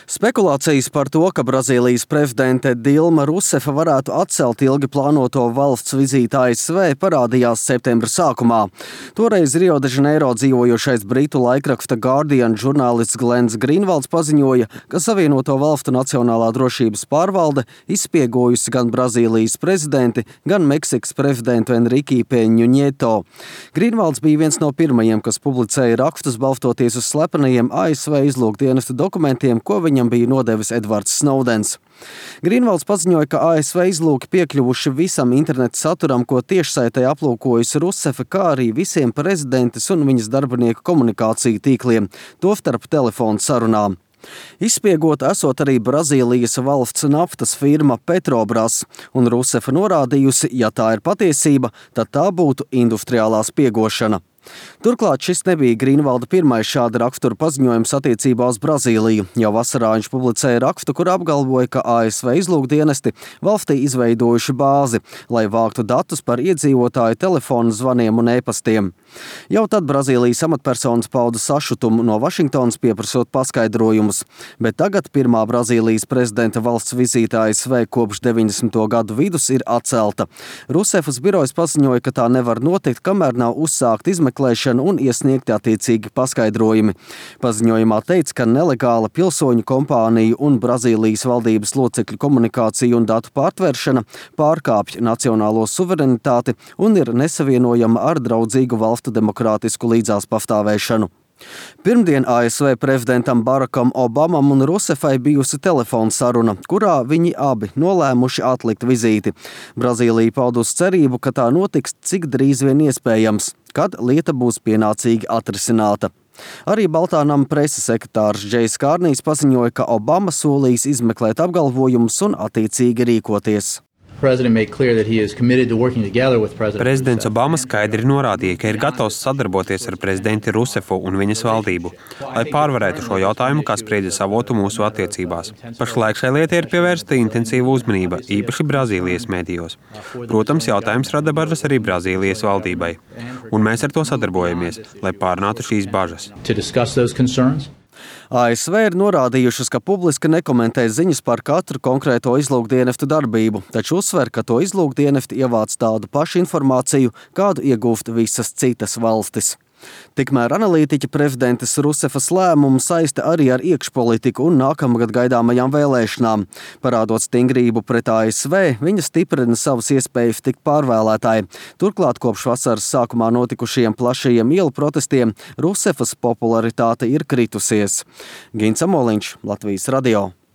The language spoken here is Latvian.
Spekulācijas par to, ka Brazīlijas prezidente Dilma Rusefa varētu atcelt ilgi plānoto valsts vizīti ASV, parādījās septembra sākumā. Toreiz Rio de Janeiro dzīvojošais britu laikraksta Guardian žurnālists Glens Grīnvalds paziņoja, ka Savienoto Valstu Nacionālā drošības pārvalde izspiegojusi gan Brazīlijas prezidenti, gan Meksikas prezidentu Enrique Peņu Nieto. Grīnvalds bija viens no pirmajiem, kas publicēja rakstus balstoties uz slepenajiem ASV izlūkdienesta dokumentiem, ko viņam bija nodevis Edvards Snowdens. Grīnvalds paziņoja, ka ASV izlūki piekļuvuši visam interneta saturam, ko tiešsaitē aplūkojusi Rusefa, kā arī visiem prezidentes un viņas darbinieku komunikāciju tīkliem, tostarp telefonu sarunām. Izspiegota esot arī Brazīlijas valsts naftas firma Petrobras, un Rusefa norādījusi, ja tā ir patiesība, tad tā būtu industriālā spiegošana. Turklāt šis nebija Grīnvalda pirmais šāda rakstura paziņojums attiecībā uz Brazīliju. Jau vasarā viņš publicēja rakstu, kur apgalvoja, ka ASV izlūkdienesti valstī izveidojuši bāzi, lai vāktu datus par iedzīvotāju telefonu zvaniem un e-pastiem. Jau tad Brazīlijas amatpersonas pauda sašutumu no Vašingtonas pieprasot paskaidrojumus, bet tagad pirmā Brazīlijas prezidenta valsts vizīte ASV kopš 90. gadu vidus ir atcelta. Rusefas birojas paziņoja, ka tā nevar notikt, kamēr nav uzsākt izmeklēšana un iesniegti attiecīgi paskaidrojumi. Paziņojumā teica, ka nelegāla pilsoņu kompāniju un Brazīlijas valdības locekļu komunikācija un datu pārtveršana pārkāpj nacionālo suverenitāti un ir nesavienojama ar draudzīgu valstu demokrātisku līdzās pastāvēšanu. Pirmdien ASV prezidentam Barakam Obamam un Rusefai bijusi telefona saruna, kurā viņi abi nolēmuši atlikt vizīti. Brazīlija paudusi cerību, ka tā notiks cik drīz vien iespējams, kad lieta būs pienācīgi atrisināta. Arī Baltā nama preses sekretārs Džejs Kārnijs paziņoja, ka Obama solīs izmeklēt apgalvojumus un attiecīgi rīkoties. Prezidents Obama skaidri norādīja, ka ir gatavs sadarboties ar prezidenti Rusefu un viņas valdību, lai pārvarētu šo jautājumu, kā spriedzes avotu mūsu attiecībās. Pašlaik šai lietai ir pievērsta intensīva uzmanība, īpaši Brazīlijas mēdījos. Protams, jautājums rada bažas arī Brazīlijas valdībai, un mēs ar to sadarbojamies, lai pārnātu šīs bažas. ASV ir norādījušas, ka publiski nekomentē ziņas par katru konkrēto izlūkdienestu darbību, taču uzsver, ka to izlūkdienesti ievāc tādu pašu informāciju, kādu iegūst visas citas valstis. Tikmēr analītiķi prezidentes Rusefas lēmumu saista arī ar iekšpolitiku un nākamgad gaidāmajām vēlēšanām. Parādot stingrību pret ASV, viņa stiprina savas iespējas tikt pārvēlētāji. Turklāt kopš vasaras sākumā notikušajiem plašajiem ielu protestiem Rusefas popularitāte ir kritusies. Gins Amoliņš, Latvijas radio.